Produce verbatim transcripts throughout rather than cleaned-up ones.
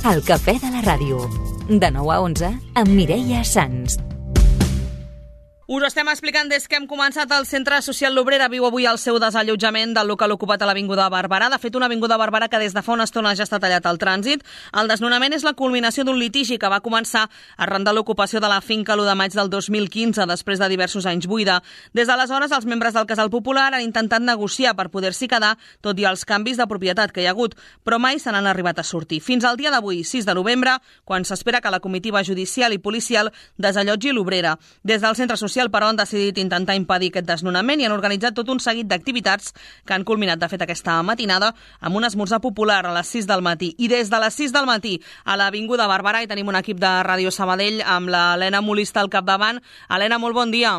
El cafè de la ràdio. De nou a onze, amb Mireia Sans. Us ho estem explicant des que hem començat. El Centre Social L'Obrera viu avui el seu desallotjament del local ocupat a l'Avinguda Barberà. De fet, una avinguda Barberà que des de fa una estona ja està tallat al trànsit. El desnonament és la culminació d'un litigi que va començar arran de l'ocupació de la finca l'u de maig del dos mil quinze, després de diversos anys buida. Des d'aleshores, els membres del Casal Popular han intentat negociar per poder-s'hi quedar, tot i els canvis de propietat que hi ha hagut, però mai se n'han arribat a sortir. Fins al dia d'avui, sis de novembre, quan s'espera que la comitiva judicial i policial desallotgi l'Obrera. Des del Centre Social però han decidit intentar impedir aquest desnonament i han organitzat tot un seguit d'activitats que han culminat, de fet, aquesta matinada amb un esmorzar popular a les sis del matí. I des de les sis del matí a l'Avinguda Barberà hi tenim un equip de Ràdio Sabadell amb l'Helena Molista al capdavant. Helena, molt bon dia.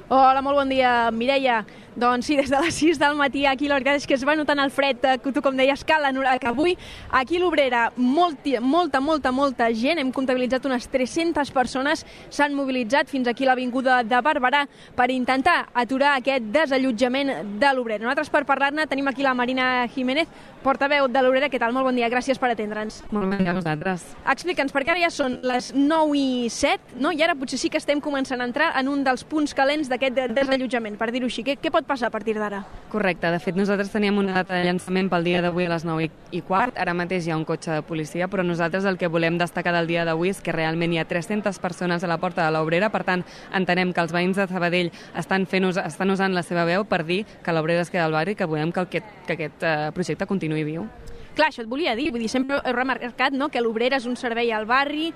Hola, molt bon dia, Mireia. Doncs sí, des de les sis del matí aquí la veritat és que es va notant el fred, que tu com deies, que avui aquí a l'Obrera molta, molta, molta, molta gent, hem comptabilitzat unes tres-centes persones, s'han mobilitzat fins aquí a l'Avinguda de Barberà per intentar aturar aquest desallotjament de l'Obrera. Nosaltres per parlar-ne tenim aquí la Marina Jiménez, portaveu de l'Obrera. Què tal? Molt bon dia, gràcies per atendre'ns. Molt bon dia a vosaltres. Explica'ns, perquè ara ja són les nou i set, no? I ara potser sí que estem començant a entrar en un dels punts calents d'aquest desallotjament, per dir-ho així. Què, què pot passar a partir d'ara? Correcte, de fet nosaltres teníem una data de llançament pel dia d'avui a les nou i quart, ara mateix hi ha un cotxe de policia, però nosaltres el que volem destacar del dia d'avui és que realment hi ha tres-centes persones a la porta de l'Obrera, per tant entenem que els veïns de Sabadell estan, fent, estan usant la seva veu per dir que l'Obrera es queda al barri, que volem que aquest, que aquest uh, projecte continuï viu. Clar, això et volia dir, vull dir, sempre he remarcat, no?, que l'Obrera és un servei al barri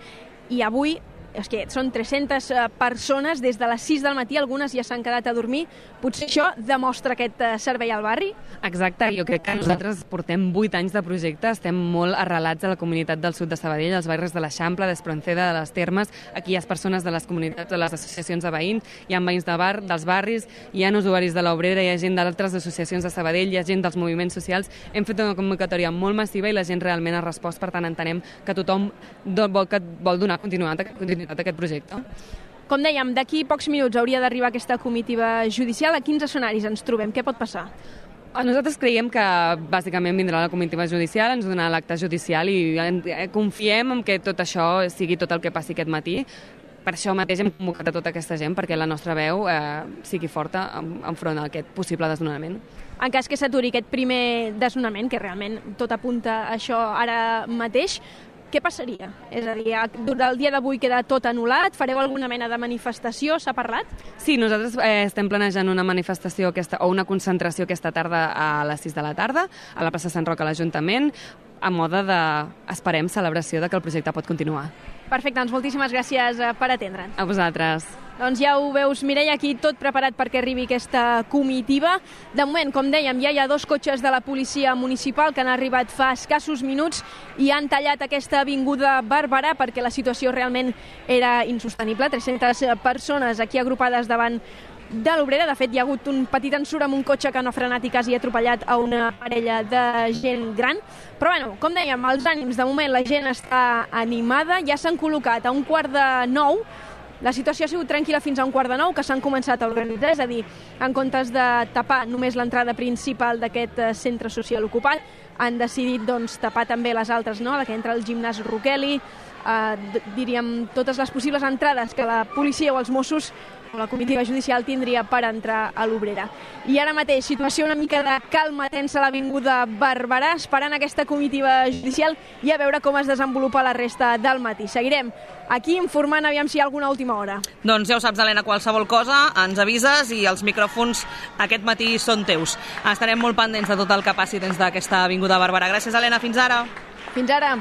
i avui és que són tres-centes persones des de les sis del matí, algunes ja s'han quedat a dormir. Potser això demostra aquest servei al barri? Exacte, jo crec que nosaltres portem vuit anys de projecte, estem molt arrelats a la comunitat del sud de Sabadell, als barris de l'Eixample, d'Espronceda, de les Termes. Aquí hi ha persones de les comunitats, de les associacions de veïns, hi ha veïns de bar, dels barris, hi ha usuaris de l'Obrera, hi ha gent d'altres associacions de Sabadell, hi ha gent dels moviments socials. Hem fet una convocatòria molt massiva i la gent realment ha respost, per tant entenem que tothom vol, que vol donar continuïtat, continuïtat d'aquest projecte. Com dèiem, d'aquí pocs minuts hauria d'arribar aquesta comitiva judicial. A quins escenaris ens trobem? Què pot passar? Nosaltres creiem que bàsicament vindrà la comitiva judicial, ens donarà l'acte judicial i confiem en que tot això sigui tot el que passi aquest matí. Per això mateix hem convocat a tota aquesta gent perquè la nostra veu eh, sigui forta enfront a aquest possible desnonament. En cas que s'aturi aquest primer desnonament, que realment tot apunta a això ara mateix, què passaria? És a dir, el dia d'avui queda tot anul·lat? Fareu alguna mena de manifestació? S'ha parlat? Sí, nosaltres eh, estem planejant una manifestació aquesta, o una concentració aquesta tarda a les sis de la tarda a la plaça Sant Roc a l'Ajuntament, a mode de, esperem, celebració de que el projecte pot continuar. Perfecte, doncs moltíssimes gràcies per atendre'ns. A vosaltres. Doncs ja ho veus, Mireia, aquí tot preparat perquè arribi aquesta comitiva. De moment, com dèiem, ja hi ha dos cotxes de la policia municipal que han arribat fa escassos minuts i han tallat aquesta avinguda Barberà perquè la situació realment era insostenible. tres-centes persones aquí agrupades davant de l'Obrera. De fet, hi ha hagut un petit ensurt amb un cotxe que no ha frenat i quasi ha atropellat a una parella de gent gran. Però, bueno, com dèiem, els ànims, de moment la gent està animada. Ja s'han col·locat a un quart de nou. La situació ha sigut tranquil·la fins a un quart de nou, que s'han començat a organitzar, és a dir, en comptes de tapar només l'entrada principal d'aquest centre social ocupat, han decidit doncs, tapar també les altres, no?, la que entra al gimnàs Roqueli, eh, diríem, totes les possibles entrades que la policia o els Mossos o la comitiva judicial tindria per entrar a l'Obrera. I ara mateix, situació una mica de calma tensa a l'Avinguda Barberà, esperant aquesta comitiva judicial i a veure com es desenvolupa la resta del matí. Seguirem aquí informant, aviam si hi ha alguna última hora. Doncs ja ho saps, Helena, qualsevol cosa ens avises i els micròfons aquest matí són teus. Estarem molt pendents de tot el que passi dins d'aquesta Avinguda Barberà. Gràcies, Helena, fins ara. Fins ara.